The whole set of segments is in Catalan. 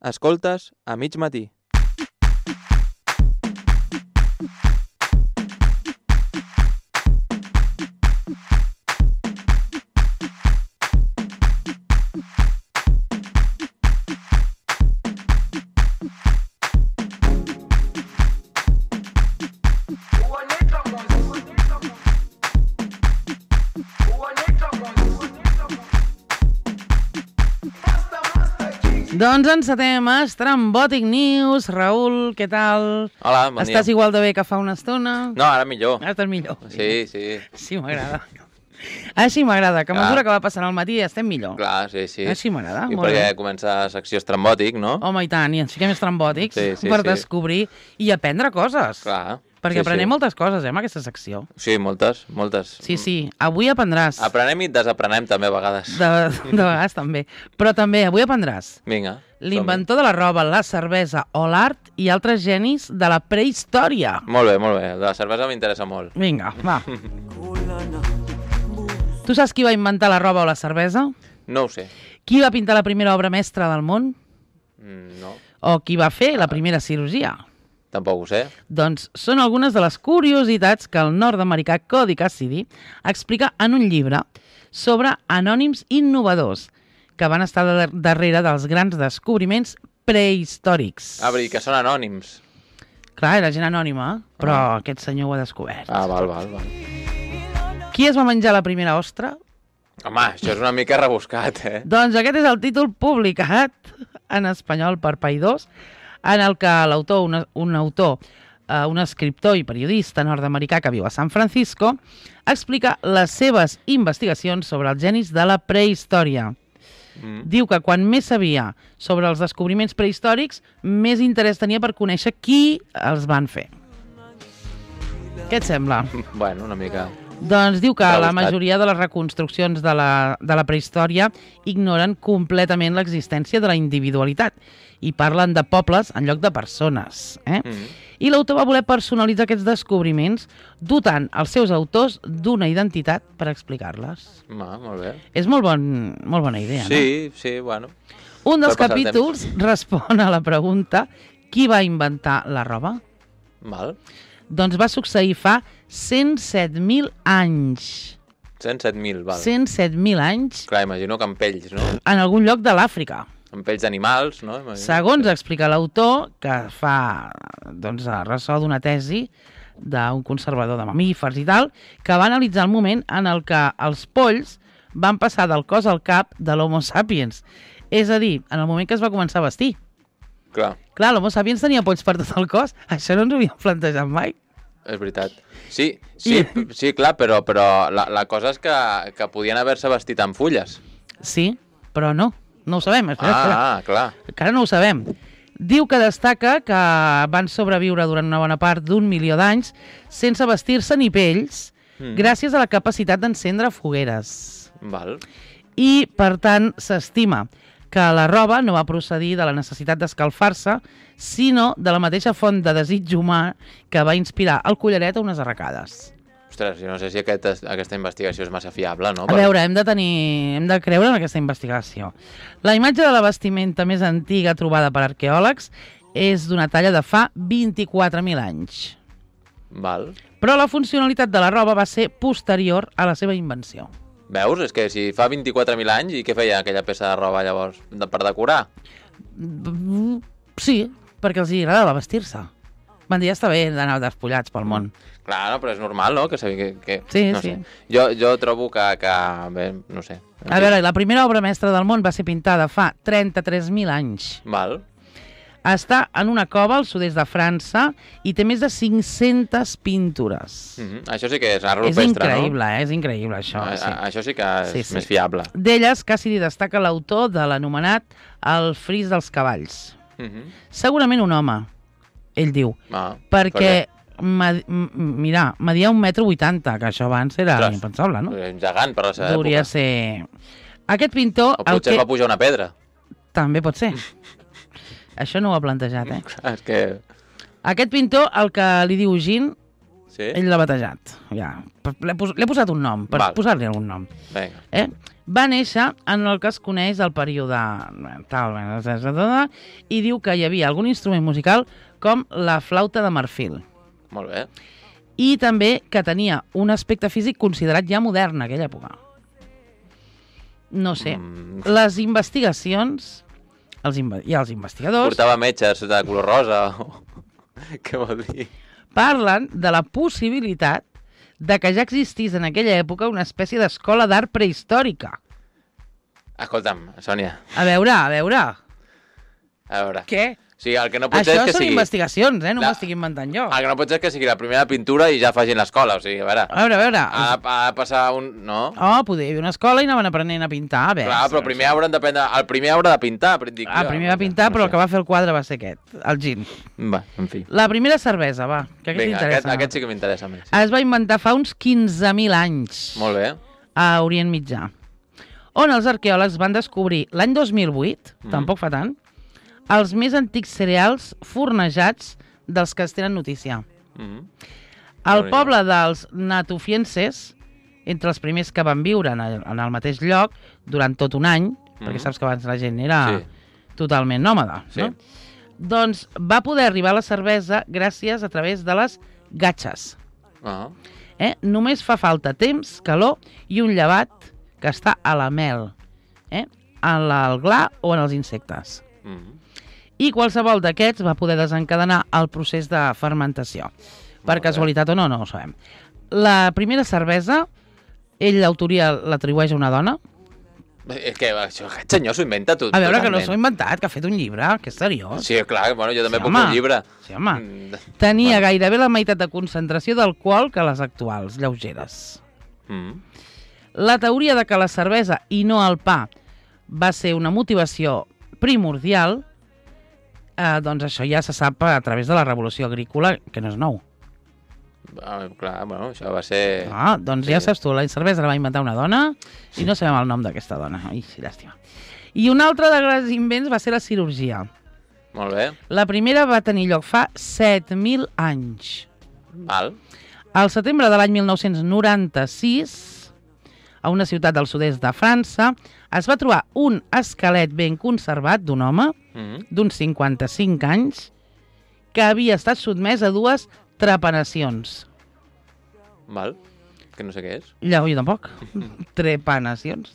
Escoltes a mig matí. Doncs encetem a Estrambòtic News. Raül, què tal? Hola, bon dia. Estàs igual de bé que fa una estona? No, ara millor. Ara estàs millor. Sí. Així m'agrada. Així m'agrada, que a mesura que va passant el matí estem millor. Clar, sí. Així m'agrada, I molt perquè bé. comença secció estrambòtic, no? Home, i tant, i ens fiquem estrambòtics per descobrir i aprendre coses. Clar. Perquè aprenem moltes coses, en aquesta secció. Sí, moltes. Sí, avui aprendràs. Aprenem i desaprenem també a vegades. De vegades també. Però també avui aprendràs Vinga. l'inventor de la roba, la cervesa o l'art i altres genis de la prehistòria. Molt bé. La cervesa m'interessa molt. Vinga, va. Tu saps qui va inventar la roba o la cervesa? No ho sé. Qui va pintar la primera obra mestra del món? No. O qui va fer la primera cirurgia? Tampoc ho sé. Doncs són algunes de les curiositats que el nord-americà Cody Cassidy explica en un llibre sobre anònims innovadors que van estar darrere dels grans descobriments prehistòrics. Ah, vull dir que són anònims. Clar, era gent anònima, però aquest senyor ho ha descobert. Ah, val. Qui es va menjar la primera ostra? Home, això és una mica rebuscat, Doncs aquest és el títol publicat en espanyol per Paidós, en el que l'autor, un escriptor i periodista nord-americà que viu a San Francisco, explica les seves investigacions sobre els genis de la prehistòria. Diu que quan més sabia sobre els descobriments prehistòrics, més interès tenia per conèixer qui els van fer. Què et sembla? Bueno, una mica. Doncs diu que la Rebuscat. majoria de les reconstruccions de la prehistòria ignoren completament l'existència de la individualitat i parlen de pobles en lloc de persones. I l'autor va voler personalitzar aquests descobriments dotant els seus autors d'una identitat per explicar-les. Molt bé. És molt bona idea, no? Sí, bueno. Un dels Per passar el capítols respon a la pregunta qui va inventar la roba? Val. Doncs va succeir fa 107.000 anys. 107.000, val. 107.000 anys Clar, imagino que amb pells, no? en algun lloc de l'Àfrica. Amb pells d'animals, no? Imagino. Segons explica l'autor, que fa ressò d'una tesi d'un conservador de mamífers i tal, que va analitzar el moment en el que els polls van passar del cos al cap de l'Homo sapiens. És a dir, en el moment que es va començar a vestir. Clar, L'Homo sapiens tenia polls per tot el cos. Això no ens ho havíem plantejat mai. és veritat. Sí, clar, però la cosa és que podien haver-se vestit amb fulles. Sí, però no. No ho sabem. Espera. Clar. Encara no ho sabem. Diu que destaca que van sobreviure durant una bona part d'1 milió d'anys sense vestir-se ni pells, gràcies a la capacitat d'encendre fogueres. Val. I, per tant, s'estima que la roba no va procedir de la necessitat d'escalfar-se, sinó de la mateixa font de desig humà que va inspirar el collaret a unes arracades. Ostres, jo no sé si aquesta investigació és massa fiable, no? A veure, hem de creure en aquesta investigació. La imatge de la vestimenta més antiga trobada per arqueòlegs és d'una talla de fa 24.000 anys. Val. Però la funcionalitat de la roba va ser posterior a la seva invenció. Veus? És que si fa 24.000 anys, i què feia aquella peça de roba llavors? Per decorar? Sí, perquè els agradava vestir-se. Van dir, ja està bé d'anar despullats pel món. Clar, no, però és normal, no? Que Sí, no sí. sé. Jo trobo que bé, no sé. A veure, la primera obra mestra del món va ser pintada fa 33.000 anys. Val. Està en una cova al sud-est de França i té més de 500 pintures. Això sí que és art És rupestre, increïble, no? És increïble, això. Sí. Això sí que és Sí. més fiable. D'elles, Cassidy destaca l'autor de l'anomenat El fris dels cavalls. Segurament un home, ell diu, perquè mira, media 1,80 m, que això abans era impensable, no? És un gegant per la seva Hauria època. ser... Aquest pintor... O potser va pujar una pedra. També pot ser. Això no ho ha plantejat, És que... Aquest pintor, el que li diu Jean, Sí? Ell l'ha batejat, ja. L'he posat un nom, per posar-li algun nom. Vinga. Va néixer en el que es coneix el període tal, i diu que hi havia algun instrument musical com la flauta de marfil. Molt bé. I també que tenia un aspecte físic considerat ja modern en aquella època. No sé. Les investigacions i els investigadors... Portava metges de color rosa. Què vol dir? Parlen de la possibilitat de que ja existís en aquella època una espècie d'escola d'art prehistòrica. Escolta'm, Sònia. A veure. Què? O sigui, el que no pot ser és que Això són sigui... investigacions, no m'estic inventant jo. El que no pot ser és que sigui la primera pintura i ja facin l'escola, o sigui, a veure... A veure. Ha de passar un... No? Oh, poder hi havia una escola i anaven aprenent a pintar, a veure. Clar, però primer hauran d'aprendre... El primer haurà de pintar, dic jo. El primer va pintar, però el que va fer el quadre va ser aquest, el gin. Va, en fi. La primera cervesa, va, que aquest t'interessa. Aquest sí que m'interessa més. Es va inventar fa uns 15.000 anys. Molt bé. A Orient Mitjà. On els arqueòlegs van descobrir l'any 2008, tampoc fa tant, els més antics cereals fornejats dels que es tenen notícia. El poble dels natufienses, entre els primers que van viure en el mateix lloc durant tot un any, perquè saps que abans la gent era totalment nòmada, no? Doncs va poder arribar a la cervesa gràcies a través de les gatxes. Només fa falta temps, calor i un llevat que està a la mel, en el gla o en els insectes. I qualsevol d'aquests va poder desencadenar el procés de fermentació. Per casualitat o no, no ho sabem. La primera cervesa, ell l'autoria l'atribueix a una dona. És que aquest senyor s'ho inventa tot. A veure, que no s'ho ha inventat, que ha fet un llibre, que és seriós. Sí, clar, bueno, jo també puc fer un llibre. Sí, home. Tenia gairebé la meitat de concentració d'alcohol que les actuals, lleugeres. La teoria de que la cervesa i no el pa va ser una motivació primordial, doncs això ja se sap a través de la revolució agrícola, que no és nou. Clar, bueno, això va ser... Doncs ja saps tu, la cervesa la va inventar una dona i no sabem el nom d'aquesta dona. Ai, llàstima. I un altre dels grans invents va ser la cirurgia. Molt bé. La primera va tenir lloc fa 7.000 anys. Val. Al setembre de l'any 1996, a una ciutat del sud-est de França, es va trobar un esquelet ben conservat d'un home d'uns 55 anys que havia estat sotmès a 2 trepanacions. Val. Que no sé què és. Jo tampoc. Trepanacions.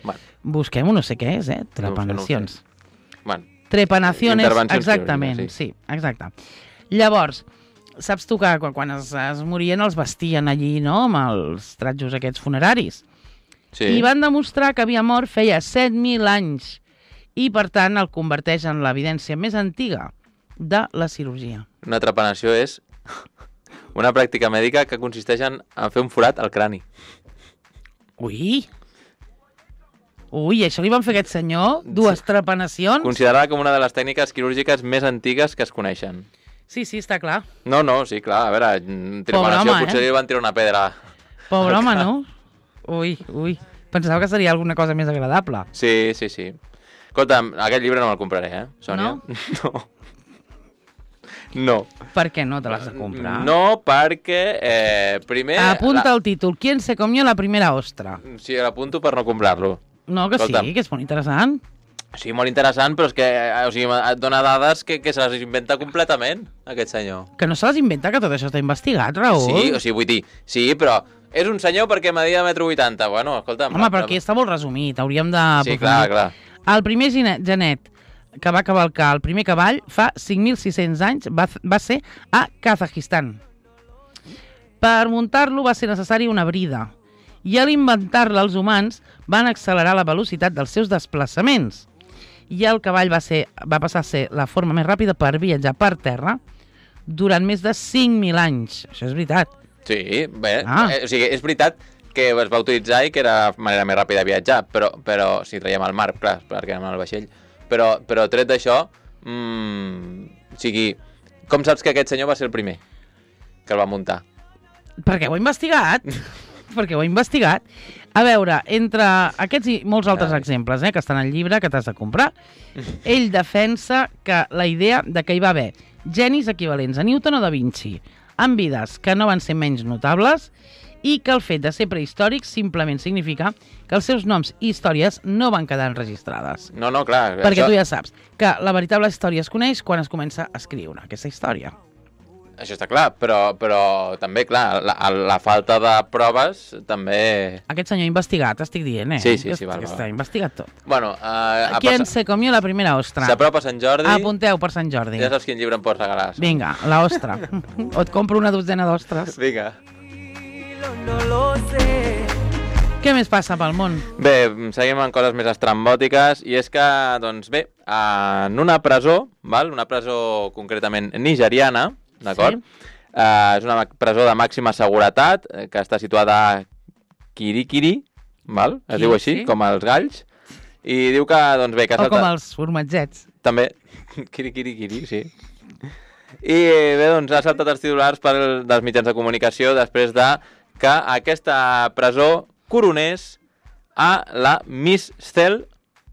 Bueno. Busquem-ho, no sé què és, trepanacions. Bueno. Trepanacions, exactament. Sí, exacte. Llavors, saps tu que quan es morien els vestien allí, no?, amb els tratjos aquests funeraris. Sí. I van demostrar que havia mort feia 7.000 anys i, per tant, el converteix en l'evidència més antiga de la cirurgia. Una trepanació és una pràctica mèdica que consisteix en fer un forat al crani. Ui, això li van fer a aquest senyor? 2 trepanacions? Considerada com una de les tècniques quirúrgiques més antigues que es coneixen. Sí, està clar. No, sí, clar. A veure, trepanació potser li van tirar una pedra. Pobre home, no? Ui. Pensava que seria alguna cosa més agradable. Sí. Escolta'm, aquest llibre no me'l compraré, Sònia? No. Per què no te l'has de comprar? No, perquè primer... Apunta el títol. ¿Quién se comió la primera ostra? Sí, l'apunto per no comprar-lo. No, que sí, que és molt interessant. Sí, molt interessant, però és que et dona dades que se les inventa completament, aquest senyor. Que no se les inventa, que tot això està investigat, Raül. Sí, vull dir, sí, però és un senyor perquè media 1,80 m. Bueno, escolta'm... Home, però aquí està molt resumit, hauríem de... Sí, clar. El primer genet que va cavalcar el primer cavall fa 5.600 anys va ser a Kazajistan. Per muntar-lo va ser necessari una brida i a l'inventar-la els humans van accelerar la velocitat dels seus desplaçaments i el cavall va passar a ser la forma més ràpida per viatjar per terra durant més de 5.000 anys. Això és veritat. Sí, bé, o sigui, és veritat que es va utilitzar i que era la manera més ràpida de viatjar, però si traiem al mar, clar, perquè anem al vaixell. Però tret d'això, o sigui, com saps que aquest senyor va ser el primer que el va muntar? Perquè ho he investigat. A veure, entre aquests i molts altres exemples que estan al llibre que t'has de comprar, ell defensa que la idea de que hi va haver genis equivalents a Newton o Da Vinci, amb vides que no van ser menys notables i que el fet de ser prehistòrics simplement significa que els seus noms i històries no van quedar enregistrades. No, clar. Perquè tu ja saps que la veritable història es coneix quan es comença a escriure aquesta història. Això està clar, però també, clar, la falta de proves també... Aquest senyor investigat, estic dient, Sí, val. Està investigat tot. Bueno, ¿Quién se comió la primera ostra? S'apropa Sant Jordi. Apunteu per Sant Jordi. Ja saps quin llibre em pots regalar. Vinga, la ostra. O et compro una dotzena d'ostres. Vinga. Què més passa pel món? Bé, seguim amb coses més estrambòtiques i és que, doncs bé, en una presó, una presó concretament nigeriana, d'acord? Sí. És una presó de màxima seguretat que està situada a Kirikiri, es diu així, com els galls, i diu que, doncs bé... O com els formatgets. També, Kirikiri, sí. I bé, doncs ha saltat els titulars dels mitjans de comunicació després de que aquesta presó coronés a la Miss Cell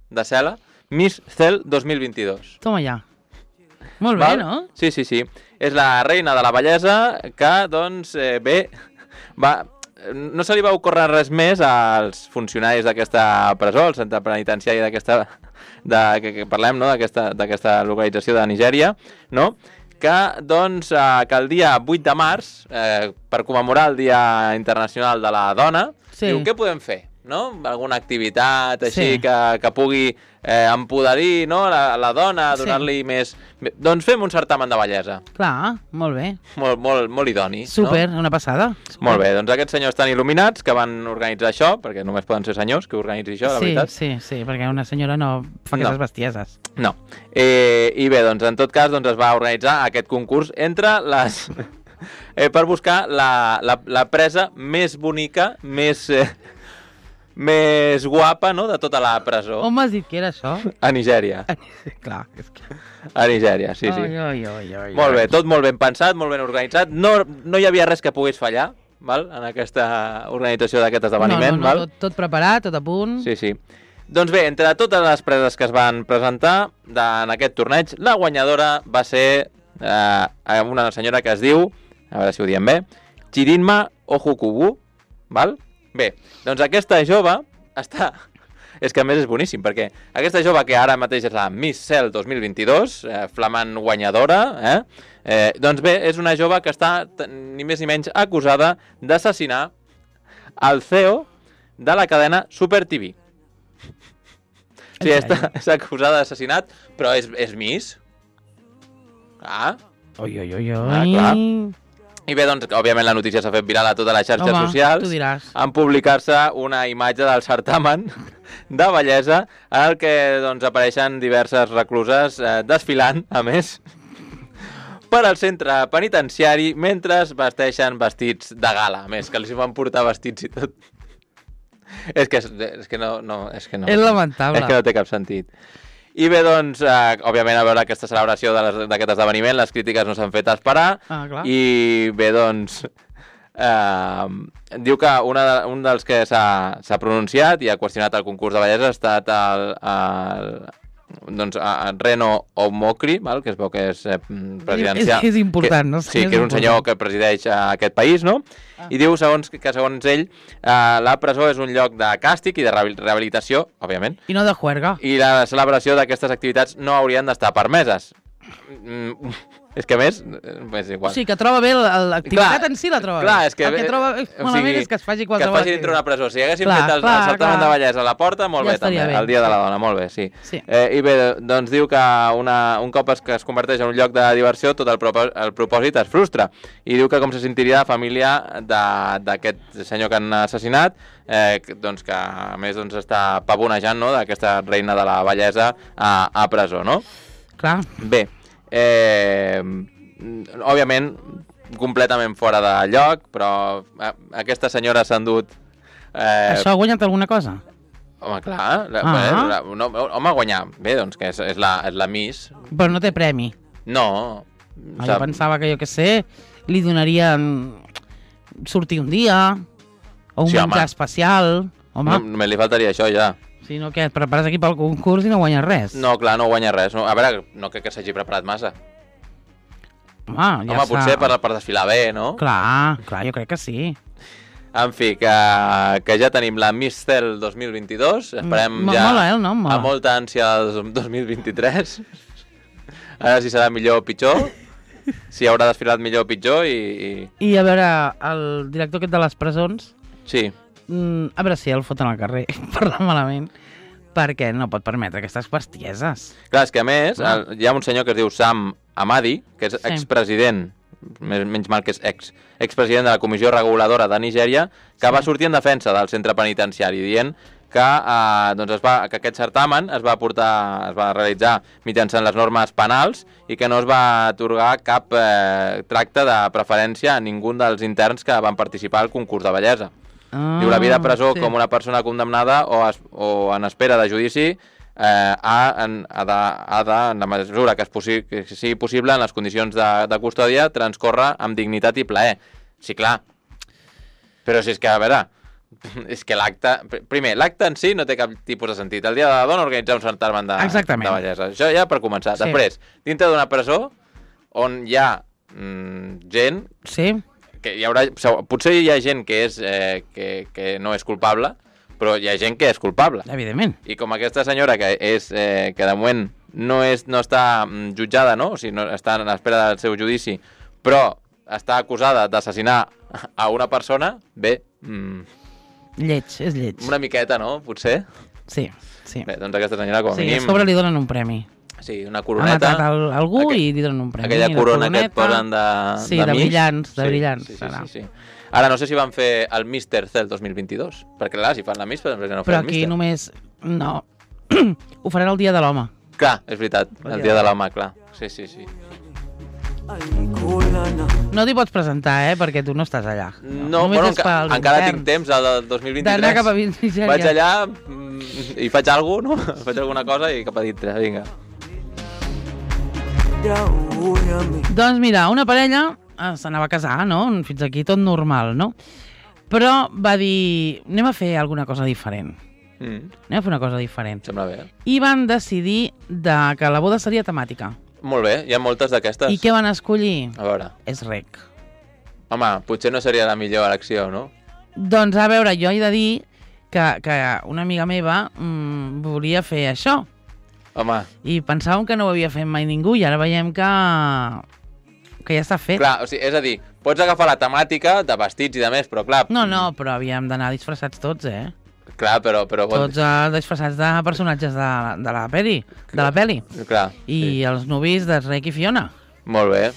de Cela, Miss Cell 2022. Toma ja. Molt bé, no? Sí. És la reina de la bellesa que, doncs, no se li va ocórrer res més als funcionaris d'aquesta presó, al centre penitenciari que parlem, no?, d'aquesta localització de Nigèria, no?, que el dia 8 de març, per commemorar el Dia Internacional de la Dona, diu, què podem fer? No? Alguna activitat així que pugui empoderir, no?, la dona, donar-li més... Doncs fem un certamen de bellesa. Clar, molt bé. Molt idoni. Super, una passada. Molt bé, doncs aquests senyors tan il·luminats que van organitzar això, perquè només poden ser senyors que organitzi això, la veritat. Sí, perquè una senyora no fa aquestes bestieses. No. I bé, doncs en tot cas es va organitzar aquest concurs entre les... per buscar la presa més bonica, més guapa, no?, de tota la presó. On m'has dit que era això? A Nigèria. Clar, és que... A Nigèria, sí. Molt bé, tot molt ben pensat, molt ben organitzat. No hi havia res que pogués fallar, en aquesta organització d'aquest esdeveniment. No, tot preparat, tot a punt. Sí. Doncs bé, entre totes les preses que es van presentar en aquest torneig, la guanyadora va ser una senyora que es diu, a veure si ho diem bé, Chirinma Ojukubu, val? Bé, doncs aquesta jove està... És que a més és boníssim, perquè aquesta jove que ara mateix és la Miss Cell 2022, flamant guanyadora, doncs bé, és una jove que està ni més ni menys acusada d'assassinar el CEO de la cadena Super TV. Sí, és acusada d'assassinat, però és Miss. Oi. Clar. I bé, doncs, òbviament la notícia s'ha fet viral a totes les xarxes socials en publicar-se una imatge del certamen de bellesa en el que doncs, apareixen diverses recluses desfilant, a més, per al centre penitenciari mentre vesteixen vestits de gala, a més, que els van portar vestits i tot. És que no. És lamentable. És que no té cap sentit. I bé, doncs, òbviament, a veure aquesta celebració d'aquest esdeveniment, les crítiques no s'han fet esperar. I bé, doncs, diu que un dels que s'ha pronunciat i ha qüestionat el concurs de bellesa ha estat Reno Omokri, que es veu que és presidencial. És important, no? Sí, que és un senyor que presideix aquest país, no? I diu que segons ell la presó és un lloc de càstig i de rehabilitació, òbviament. I no de juerga. I la celebració d'aquestes activitats no haurien d'estar permeses. És que a més, és igual. Sí, que troba bé l'activitat en si, la troba bé. Clar, és que... El que troba malament és que es faci qualsevol... Que es faci dintre una presó. Si haguéssim fet el certamen de bellesa a la porta, molt bé també, el Dia de la Dona, molt bé, sí. I bé, doncs diu que un cop que es converteix en un lloc de diversió, tot el propòsit es frustra. I diu que com se sentiria la família d'aquest senyor que han assassinat, doncs que a més està pavonejant, no?, d'aquesta reina de la bellesa a presó, no? Clar. Bé, òbviament completament fora de lloc, però aquesta senyora s'ha endut... Això ha guanyat alguna cosa? Home, clar, home, guanyar. Bé, doncs que és la Miss. Però no té premi. No. Jo pensava que, jo què sé, li donarien sortir un dia, o un menjar especial. Home. Només li faltaria això, ja. Si no, què, et prepares aquí pel concurs i no guanyes res. No, clar, no guanyes res. A veure, no crec que s'hagi preparat massa. Home, potser per desfilar bé, no? Clar, jo crec que sí. En fi, que ja tenim la Miss Cel 2022. Esperem ja mola, el nom, mola. amb molta ànsia el 2023. A veure si serà millor o pitjor, si haurà desfilat millor o pitjor i... I a veure, el director aquest de les presons... Sí. A veure si el foten al carrer, parlant malament, perquè no pot permetre aquestes bestieses. Clar, és que a més, hi ha un senyor que es diu Sam Amadi, que és expresident, menys mal que és expresident de la Comissió Reguladora de Nigèria, que va sortir en defensa del centre penitenciari, dient que, que aquest certamen es va realitzar mitjançant les normes penals i que no es va atorgar cap tracte de preferència a ningú dels interns que van participar al concurs de bellesa. Diu, la vida a presó com una persona condemnada o en espera de judici en la mesura que sigui possible en les condicions de custòdia transcorre amb dignitat i plaer. Sí, clar. Però si és que, a veure, és que l'acte... Primer, l'acte en si no té cap tipus de sentit. El dia de la dona organitzar un certamen de bellesa. Això ja per començar. Sí. Després, dintre d'una presó on hi ha gent... Sí. Que hi haurà, potser hi ha gent que no és culpable, però hi ha gent que és culpable. Evidentment. I com aquesta senyora que de moment no està jutjada, no? O sigui, no està en espera del seu judici, però està acusada d'assassinar a una persona, bé... és lleig. Una miqueta, no? Potser? Sí. Bé, doncs aquesta senyora com a mínim... Sí, a sobre li donen un premi. Sí, una coroneta. Ha matat algú i li donen un premi. Aquella corona que et posen de sí, de brillants, de brillants. Sí. Ara no sé si van fer el Mr. Cel 2022, perquè clar, si fan la Miss, però no fan el Mister. Però aquí només... No. Ho faran el dia de l'home. Clar, és veritat, el dia de l'home, clar. Sí. No t'hi pots presentar, perquè tu no estàs allà. No, bueno, encara tinc temps, el del 2023. D'anar cap a Nigèria. Vaig allà i faig alguna cosa, no? Faig alguna cosa i cap a dintre, vinga. Doncs mira, una parella s'anava a casar, no? Fins aquí tot normal, no? Però va dir, anem a fer alguna cosa diferent. Anem a fer una cosa diferent. Sembla bé. I van decidir que la boda seria temàtica. Molt bé, hi ha moltes d'aquestes. I què van escollir? A veure. És rec. Home, potser no seria la millor elecció, no? Doncs a veure, jo he de dir que una amiga meva volia fer això. Home. I pensàvem que no ho havia fet mai ningú i ara veiem que ja està fet. Clar, o sigui, és a dir, pots agafar la temàtica de vestits i de més, però clar... No, però havíem d'anar disfressats tots, Clar, però... Tots disfressats de personatges de la peli. Clar. I els nuvis de Rec i Fiona. Molt bé.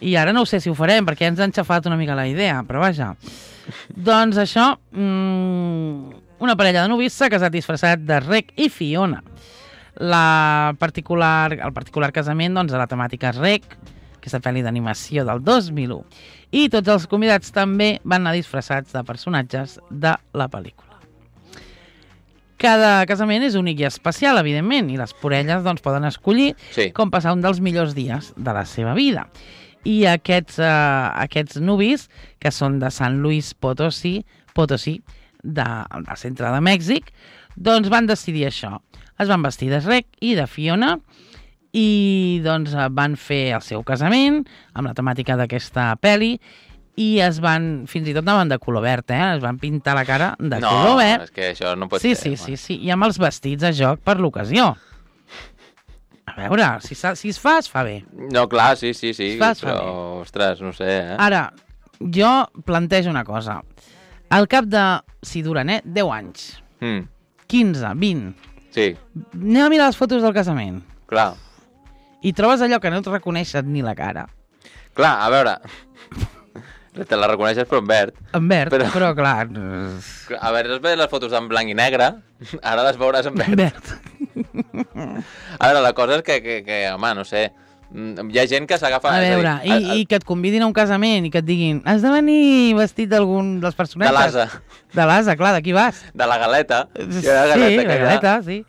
I ara no ho sé si ho farem, perquè ens han xafat una mica la idea, però vaja. Doncs això, una parella de nuvis s'ha casat disfressat de Rec i Fiona. El particular casament, doncs, de la temàtica Rec, aquesta pel·li d'animació del 2001. I tots els convidats també van anar disfressats de personatges de la pel·lícula. Cada casament és únic i especial, evidentment, i les parelles doncs, poden escollir com passar un dels millors dies de la seva vida. I aquests nuvis, que són de San Luis Potosí, del centre de Mèxic, doncs van decidir això. Es van vestir de Rec i de Fiona i doncs van fer el seu casament amb la temàtica d'aquesta pel·li i fins i tot anaven de color verd, es van pintar la cara de color verd. No, és que això no pot ser. Sí, i amb els vestits a joc per l'ocasió. A veure, si es fa bé. No, clar, sí, però, ostres, no sé, Ara, jo plantejo una cosa. Al cap de, si duren, 10 anys, 15, 20, sí. Anem a mirar les fotos del casament. Clar. I trobes allò que no et reconeixes ni la cara. Clar, a veure... Te la reconeixes però en verd. En verd, però clar... A veure, has vist les fotos en blanc i negre, ara les veuràs en verd. A veure, la cosa és que home, no sé, hi ha gent que s'agafa... A veure, i que et convidin a un casament i que et diguin has de venir vestit d'algun dels personatges. De l'Asa. De l'Asa, clar, d'aquí vas. De la galeta. Sí, la galeta, sí.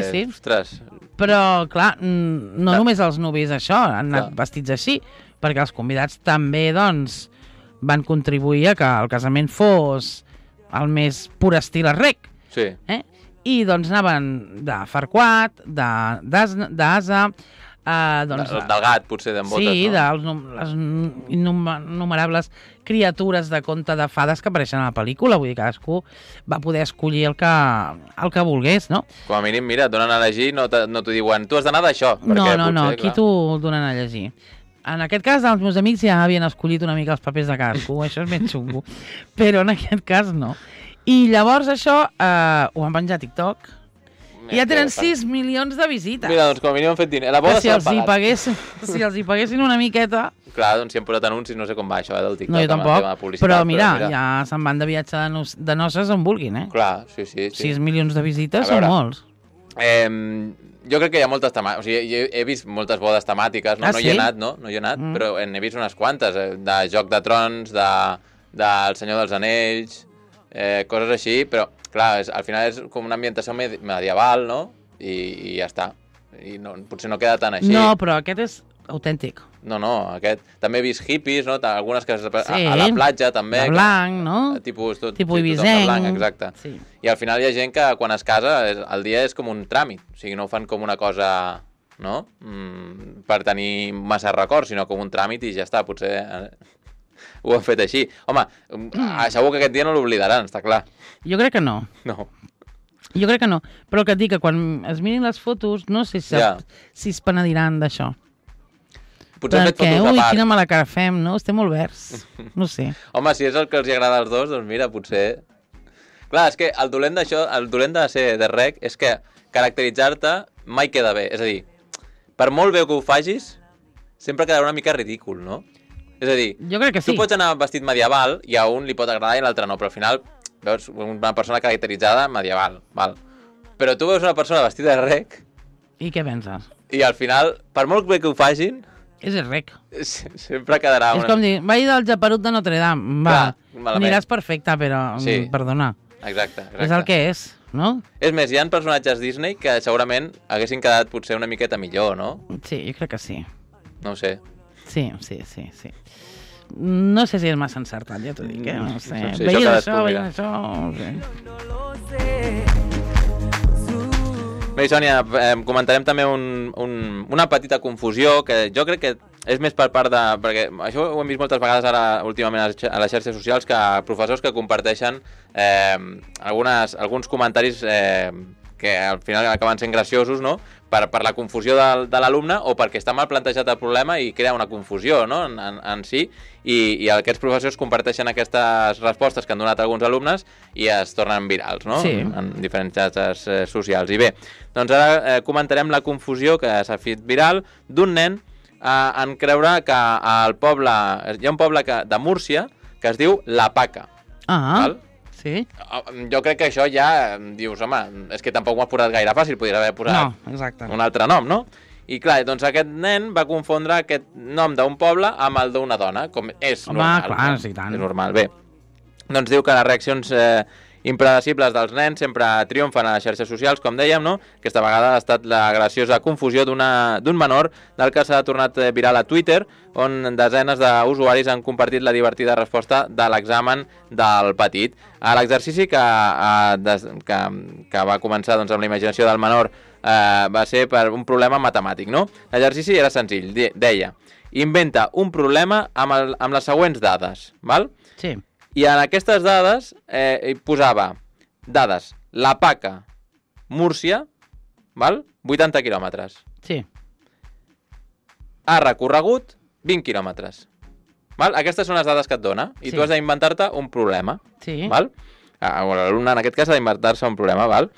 Sí. Ostres. Però, clar, no només els nuvis això, han anat vestits així, perquè els convidats també, doncs, van contribuir a que el casament fos el més pur estil a Rec. Sí. I, doncs, anaven de Farquaad, d'Asa, Del gat, potser, d'en Botes, sí, no? de les innumerables criatures de conte de fades que apareixen a la pel·lícula. Vull dir, cadascú va poder escollir el que volgués, no? Com a mínim, mira, et donen a llegir, no t'ho diuen, tu has d'anar d'això. No, aquí t'ho donen a llegir. En aquest cas, els meus amics ja havien escollit una mica els papers de cadascú, això és ben xungo, però en aquest cas no. I llavors això ho van penjar a TikTok, i ja tenen 6 milions de visites. Mira, doncs com a mínim han fet diner. La boda si els hi paguessin una miqueta... Clar, doncs si han posat anuncis, no sé com va això, del TikTok. No, jo tampoc, però mira, ja se'n van de viatge de noces on vulguin, eh? Clar, sí. 6 milions de visites són molts. Jo crec que hi ha moltes temàtiques, o sigui, he vist moltes bodes temàtiques, no? No hi he anat, però n'he vist unes quantes, de Joc de Trons, del Senyor dels Anells, coses així, però clar, al final és com una ambientació medieval, no? I ja està. I potser no queda tan així. No, però aquest és autèntic. No, aquest... També he vist hippies, no? Algunes que a la platja, també. De blanc, no? Tipus ibisenc. Blanc, exacte. Sí. I al final hi ha gent que quan es casa, el dia és com un tràmit. O sigui, no ho fan com una cosa, no? Per tenir massa records, sinó com un tràmit i ja està. Potser ho han fet així. Home, segur que aquest dia no l'oblidaran, està clar. Jo crec que no. No. Jo crec que no. Però el que et dic, que quan es mirin les fotos, no sé si es penediran d'això. Potser han fet fotos a part. Quina mala cara fem, no? Estem molt verds. No sé. Home, si és el que els agrada als dos, doncs mira, potser... Clar, és que el dolent d'això, el dolent de ser de rec, és que caracteritzar-te mai queda bé. És a dir, per molt bé que ho facis, sempre quedarà una mica ridícul, no? És a dir, jo crec que sí. Tu pots anar vestit medieval i a un li pot agradar i a l'altre no, però al final veus una persona caracteritzada medieval, val? Però tu veus una persona vestida de rec... I què penses? I al final, per molt bé que ho facin... És el rec. Sempre quedarà... És com dir, vaig del Japerut de Notre Dame, va, aniràs perfecte, però perdona. Exacte. És el que és, no? És més, hi ha personatges Disney que segurament haguessin quedat potser una miqueta millor, no? Sí, jo crec que sí. No ho sé. Sí. No sé si és massa encertat, ja t'ho dic, no sé. Veient això. Bé, Sònia, comentarem també una petita confusió que jo crec que és més per part de... Perquè això ho hem vist moltes vegades ara últimament a les xarxes socials, que professors que comparteixen alguns comentaris que al final acaben sent graciosos, no?, per la confusió de l'alumne o perquè està mal plantejat el problema i crea una confusió, no?, en si, i aquests professors comparteixen aquestes respostes que han donat alguns alumnes i es tornen virals, no?, en diferents xarxes socials. I bé, doncs ara comentarem la confusió que s'ha fet viral d'un nen en creure que al poble... Hi ha un poble de Múrcia que es diu La Paca. Val? Sí. Jo crec que això ja dius, home, és que tampoc m'ho has posat gaire fàcil, podria haver posat un altre nom, no? I clar, doncs aquest nen va confondre aquest nom d'un poble amb el d'una dona, com és normal. Home, clar, sí, tant. És normal, bé. Doncs diu que les reaccions impredecibles dels nens sempre triomfen a les xarxes socials, com dèiem, no? Aquesta vegada ha estat la graciosa confusió d'un menor del que s'ha tornat viral a Twitter, on desenes d'usuaris han compartit la divertida resposta de l'examen del petit. L'exercici que va començar amb la imaginació del menor va ser per un problema matemàtic, no? L'exercici era senzill, deia, inventa un problema amb les següents dades, val? Sí. I en aquestes dades hi posava dades, La Paca, Múrcia, val? 80 quilòmetres. Sí. Ha recorregut 20 quilòmetres. Val? Aquestes són les dades que et dona i tu has d'inventar-te un problema. Sí. Val? L'alumne en aquest cas ha d'inventar-se un problema, val?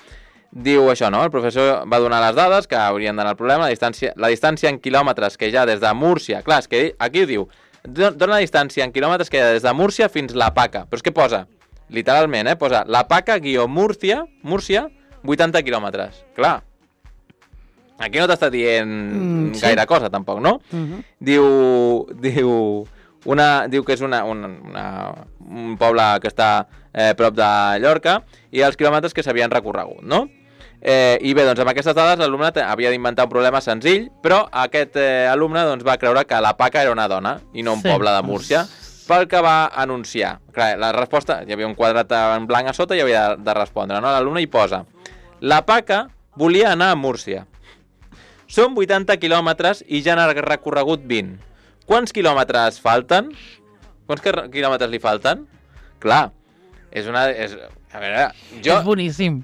Diu això, no? El professor va donar les dades que haurien d'anar al problema, la distància en quilòmetres que hi ha des de Múrcia. Clar, és que aquí ho diu, dona la distància en quilòmetres que hi ha des de Múrcia fins La Paca. Però és que posa, literalment, posa La Paca Múrcia, 80 quilòmetres. Clar, aquí no t'està dient gaire cosa, tampoc, no? Diu que és un poble que està prop de Llorca i els quilòmetres que s'havien recorregut, no? I bé, doncs amb aquestes dades l'alumne havia d'inventar un problema senzill, però aquest alumne va creure que La Paca era una dona i no un poble de Múrcia, pel que va anunciar. Clar, la resposta, hi havia un quadrat en blanc a sota i havia de respondre, no? L'alumne hi posa: La Paca volia anar a Múrcia. Són 80 quilòmetres i ja n'ha recorregut 20. Quants quilòmetres falten? Quants quilòmetres li falten? Clar, a veure, És boníssim.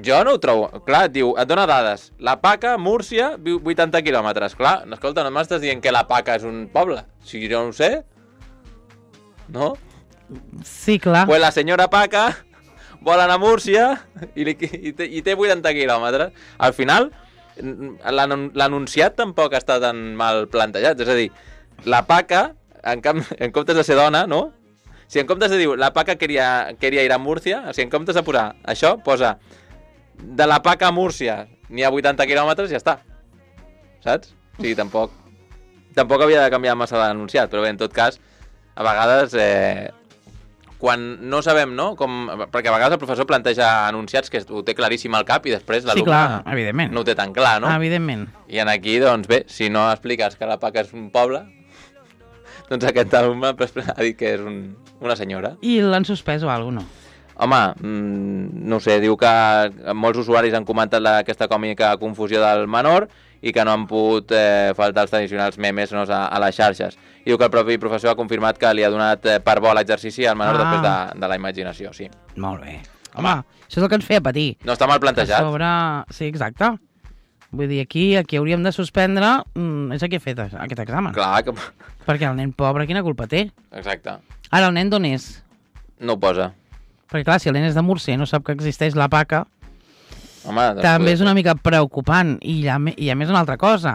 Jo no ho trobo. Clar, et diu, et dona dades. La Paca, Múrcia, 80 quilòmetres. Clar, escolta, no m'estàs dient que la Paca és un poble. Si jo no ho sé. No? Sí, clar. Pues la senyora Paca vol anar a Múrcia i té 80 quilòmetres. Al final, l'anunciat tampoc està tan mal plantejat. És a dir, la Paca, en comptes de ser dona, no? Si en comptes de dir la Paca quería ir a Múrcia, o sigui, en comptes de posar això, posa de la Paca a Múrcia n'hi ha 80 quilòmetres i ja està. Saps? O sigui, tampoc havia de canviar massa l'anunciat, però bé, en tot cas, a vegades, quan no sabem, no? Perquè a vegades el professor planteja anunciats que ho té claríssim al cap i després l'alumne no ho té tan clar, no? Evidentment. I en aquí, doncs bé, si no expliques que la Paca és un poble, doncs aquest alumne ha dit que és una senyora. I l'han suspès o alguna cosa, no? Home, no ho sé, diu que molts usuaris han comentat aquesta còmica confusió del menor i que no han pogut faltar els tradicionals memes a les xarxes. I diu que el propi professor ha confirmat que li ha donat per bo l'exercici al menor després de la imaginació, sí. Molt bé. Home, això és el que ens feia patir. No està mal plantejat. Sí, exacte. Vull dir, aquí hauríem de suspendre és aquí ha fet aquest examen. Clar que... Perquè el nen pobre, quina culpa té? Exacte. Ara, el nen d'on és? No ho posa. Perquè clar, si el nen és de Múrcia i no sap que existeix la Paca, home, també és una mica preocupant. I a més una altra cosa,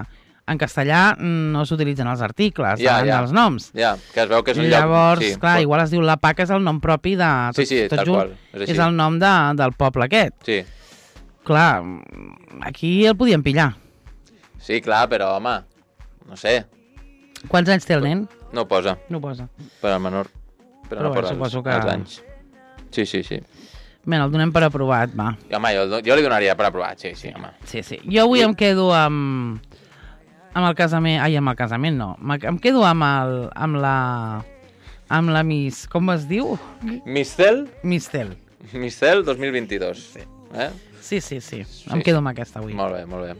en castellà no s'utilitzen els articles davant dels noms. Ja, que es veu que és un lloc... Llavors, clar, igual es diu la Paca és el nom propi de... Sí, tal qual. És el nom del poble aquest. Sí. Clar, aquí el podien pillar. Sí, clar, però, home, no sé. Quants anys té el nen? No ho posa. No ho posa. Per al menor. Però no posa els anys. Sí. Bé, el donem per aprovat, va. Home, jo li donaria per aprovat, sí, home. Sí. Jo avui em quedo amb el casament... Ai, amb el casament no. Em quedo amb la Miss... Com es diu? Mistel? Mistel 2022. Sí. Sí. Em quedo amb aquesta avui. Molt bé.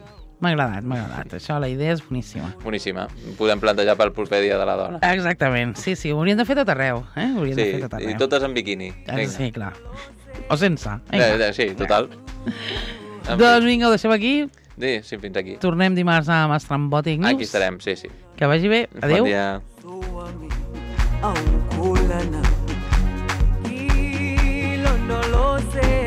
M'ha agradat. Això, la idea és boníssima. Boníssima. Podem plantejar pel proper dia de la dona. Exactament. Sí, ho hauríem de fer tot arreu. Hauríem de fer tot arreu. I totes en biquini. Sí, clar. O sense. Sí, total. Doncs vinga, ho deixem aquí. Sí, fins aquí. Tornem dimarts amb Estrambòtic News. Aquí estarem, sí. Que vagi bé. Adéu. Bon dia. Hilo no lo sé.